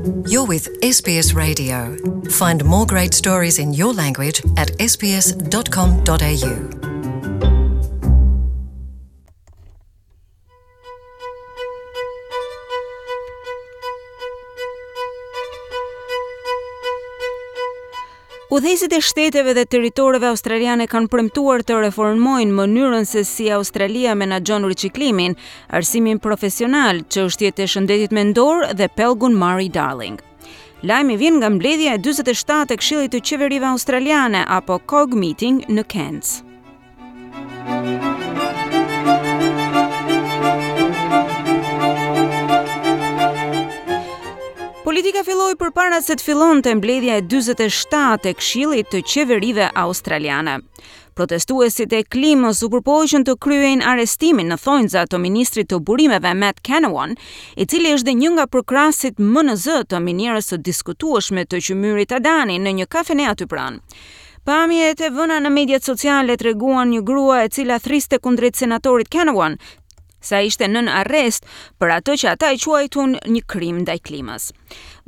You're with SBS Radio. Find more great stories in your language at sbs.com.au. Udhëheqësit e shteteve dhe territoreve australiane kanë premtuar të reformojnë mënyrën se si Australia menaxhon riciklimin, arsimin profesional, çështjet e shëndetit mendor dhe pellgun Murray Darling. Lajmi vjen nga mbledhja e 47 e Këshillit të Qeverive Australiane apo COG Meeting në Cairns. Politika filloi përpara se të fillonte mbledhja e 47 e Këshillit të Qeverive Australiane. Protestuesit e klimës u përpoqën të kryejnë arrestimin në thonjza të ministrit të burimeve Matt Canavan, i cili është dhe një nga përkrahësit më në zë të minierës së diskutueshme të qymyrit Adani në një kafene aty pranë. Pamjet e vëna në mediat sociale treguan një grua e cila thriste kundrejt senatorit Canavan se ai ishte nën arrest për atë që ata e quajtun një krim ndaj klimës.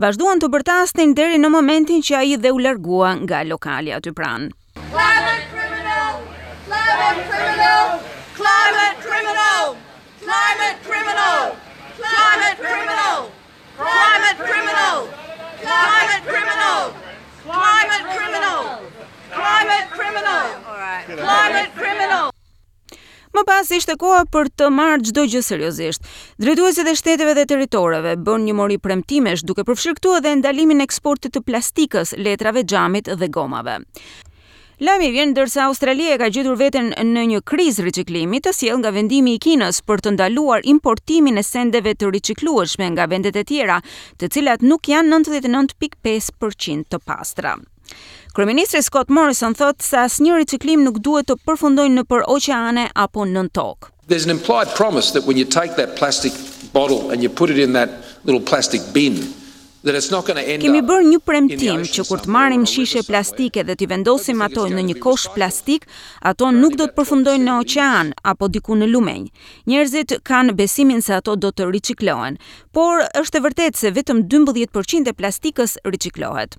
Vazhduan të bërtasnin deri në momentin që ai dhe u largua nga lokali aty pranë. Climate criminal! Climate criminal! Climate criminal! Climate criminal! Climate criminal! Climate criminal! Climate criminal! Climate criminal! Climate criminal! Climate criminal! Më pas ishte koha për të marrë çdo gjë seriozisht. Drejtuesit e shteteve dhe territoreve bënë një mori premtimesh, duke përfshirë këtu edhe ndalimin e eksportit të plastikës, letrave, xhamit dhe gomave. Lajmi vjen ndërsa Australia e ka gjetur veten në një krizë riciklimi të sjellë nga vendimi i Kinës për të ndaluar importimin e sendeve të riciklueshme nga vendet e tjera, të cilat nuk janë 99.5 për qind të pastra. Kryeministri Scott Morrison thotë se asnjë riciklim nuk duhet të përfundojë nëpër oqeane apo nën tokë. There's an implied promise that when you take that plastic bottle and you put it in that little plastic bin, Kemi bërë një premtim që kur të marrim shishe plastike dhe t'i vendosim ato në një kosh plastik, ato nuk do të përfundojnë në oqean apo diku në lumenj. Njerëzit kanë besimin se ato do të riciklohen, por është e vërtetë se vetëm 12 për qind e plastikës riciklohet.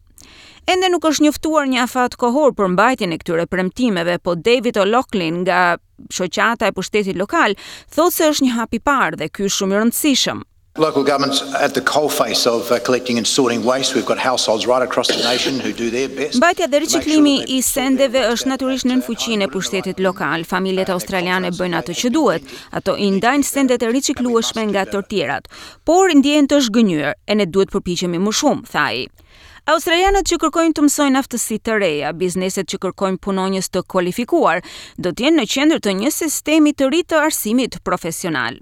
Ende nuk është njoftuar një afat kohor për mbajtjen e këtyre premtimeve, po David O'Loughlin nga Shoqata e Pushtetit Lokal thotë se është një hap i parë dhe ky është shumë i rëndësishëm. Local governments at the coalface of uh, collecting and sorting waste. We've got households right across the nation who do their best. Mbajtja dhe riciklimi i sendeve është natyrisht nën fuqinë e pushtetit lokal. Familjet australiane bëjnë atë që duhet. Ato i ndajnë sendet e riciklueshme nga të tjerat, por ndjehen të zhgënjyer, e ne duhet përpiqemi më shumë, tha ai. Australianët që kërkojnë të mësojnë aftësi të reja, bizneset që kërkojnë punonjës të kualifikuar, do të jenë në qendër të një sistemi të ri të arsimit profesional.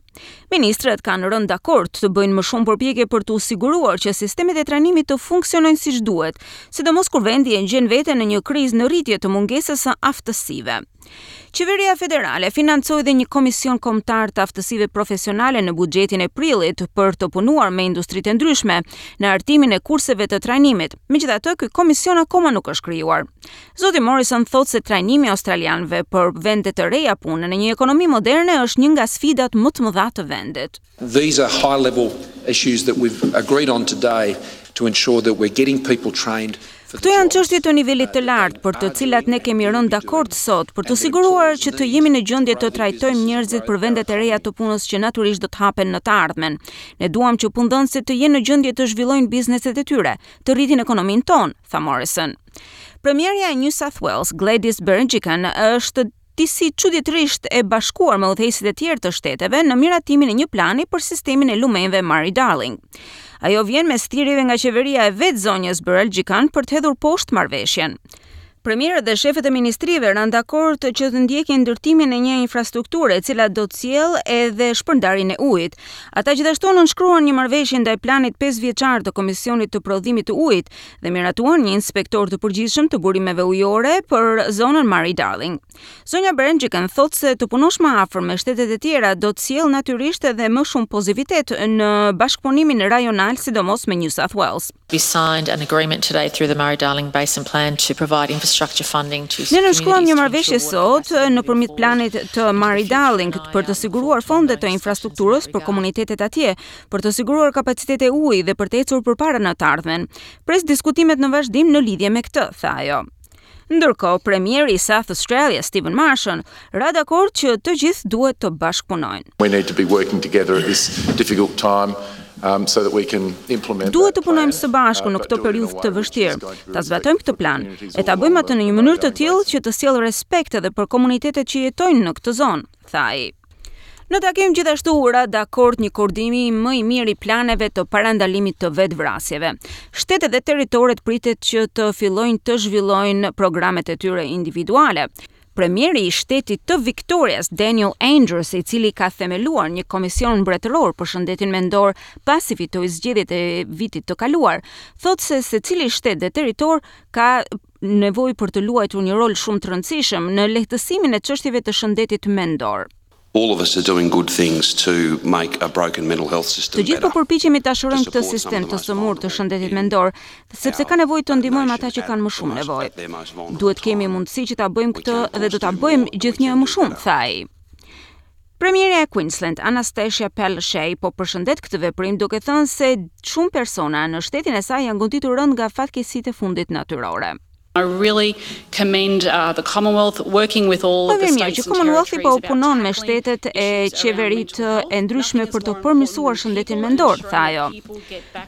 Ministrat kanë rënë dakord të bëjnë më shumë përpjekje për t'u siguruar që sistemet e trajnimit të funksionojnë siç duhet, sidomos kur vendi e gjen veten në një krizë në rritje të mungesës së aftësive. Qeveria federale financoi dhe një komision kombëtar të aftësive profesionale në buxhetin e prillit për të punuar me industritë e ndryshme në hartimin e kurseve të trajnimit. Megjithatë, ky komision akoma nuk është krijuar. Zoti Morrison thotë se trajnimi i australianëve për vende të reja pune në një ekonomi moderne është një nga sfidat më të mëdha të vendit. These are high level issues that we've agreed on today to ensure that we're getting people trained Këto janë çështje të nivelit të lartë për të cilat ne kemi rënë dakord sot për t'u siguruar që të jemi në gjendje të trajtojmë njerëzit për vendet e reja të punës që natyrisht do të hapen në të ardhmen. Ne duam që punëdhënësit të jenë në gjendje të zhvillojnë bizneset e tyre, të rritin ekonominë tonë, tha Morrison. Premierja e New South Wales, Gladys Berejiklian, është disi çuditërisht e bashkuar me udhëheqësit e tjerë të shteteve në miratimin e një plani për sistemin e lumenjve Murray-Darling. Ajo vjen mes thirrjeve nga qeveria e vetë zonjës Berejiklian për të hedhur poshtë marrëveshjen. Premierët dhe shefët e ministrive ranë dakord që të ndjekin ndërtimin e një infrastrukture e cila do të sjellë edhe shpërndarjen e ujit. Ata gjithashtu nënshkruan një marrëveshje ndaj planit 5 vjeçar të Komisionit të Prodhimit të Ujit dhe miratuan një inspektor të përgjithshëm të burimeve ujore për zonën Murray-Darling. Zonja Berejiklian thotë se të punosh më afër me shtetet e tjera do të sjellë natyrisht edhe më shumë pozitivitet në bashkëpunimin rajonal, sidomos me New South Wales. We signed an agreement today through the Murray-Darling Basin Plan to provide infrastructure. Infrastructure funding to Ne nënshkruam një marrëveshje sot nëpërmjet planit të Murray-Darling për të siguruar fonde të infrastrukturës për komunitetet atje, për të siguruar kapacitete uji dhe për të ecur përpara në të ardhmen. Pres diskutimet në vazhdim në lidhje me këtë, tha ajo. Ndërkohë, premieri i South Australia, Steven Marshall, ra dakord që të gjithë duhet të bashkëpunojnë. We need to be working together at this difficult time. Um, so that we can implement Duhet të punojmë së bashku në këtë periudhë të vështirë, ta zbatojmë këtë plan e ta bëjmë atë në një mënyrë të tillë që të sjellë respekt edhe për komunitetet që jetojnë në këtë zonë, tha ai. Në takim gjithashtu u ra dakord një koordinim më i mirë i planeve të parandalimit të vetëvrasjeve. Shtetet dhe territoret pritet që të fillojnë të zhvillojnë programet e tyre individuale. Premieri i shtetit të Victorias, Daniel Andrews, i cili ka themeluar një komision mbretëror për shëndetin mendor pasi fitoi zgjedhjet e vitit të kaluar, thotë se secili shtet dhe territor ka nevojë për të luajtur një rol shumë të rëndësishëm në lehtësimin e çështjeve të shëndetit mendor. All of us are doing good things to make a broken mental health system better. Të gjithë po përpiqemi ta shërojmë këtë sistem të sëmurë të shëndetit mendor, sepse ka nevojë të ndihmojmë ata që kanë më shumë nevojë. Duhet të kemi mundësi që ta bëjmë këtë dhe do ta bëjmë gjithnjë e më shumë, tha ai. Premierja e Queensland, Anastasia Palaszczuk, po përshëndet këtë veprim duke thënë se shumë persona në shtetin e saj janë goditur rëndë nga fatkeqësitë e fundit natyrore. I really commend uh, the Commonwealth working with all of the states që Commonwealthi po punon me shtetet e qeveritë e ndryshme për të përmirësuar shëndetin mendor, tha ajo.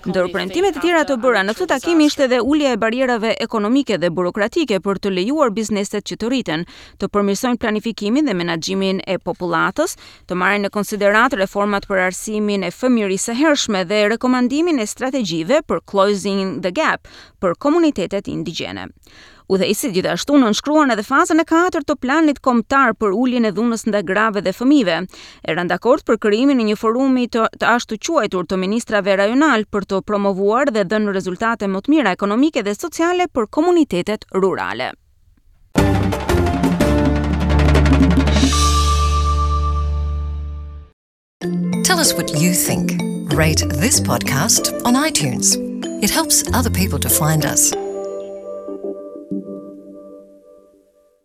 Ndër premtimet e tjera të bëra në këtë takim ishte edhe ulja e barrierave ekonomike dhe burokratike për të lejuar bizneset që të rriten, të përmirësojnë planifikimin dhe menaxhimin e popullatës, të marrin në konsideratë reformat për arsimin e fëmijërisë së hershme dhe rekomandimin e strategjive për Closing the Gap për komunitetet indigjene. Udhëheqësit gjithashtu nënshkruan edhe fazën e katërt të planit kombëtar për uljen e dhunës ndaj grave dhe fëmijëve. E ranë dakord për krijimin e një forumi të, të ashtuquajtur të ministrave rajonal për të promovuar dhe dhënë rezultate më të mira ekonomike dhe sociale për komunitetet rurale. Tell us what you think. Rate this podcast on iTunes. It helps other people to find us.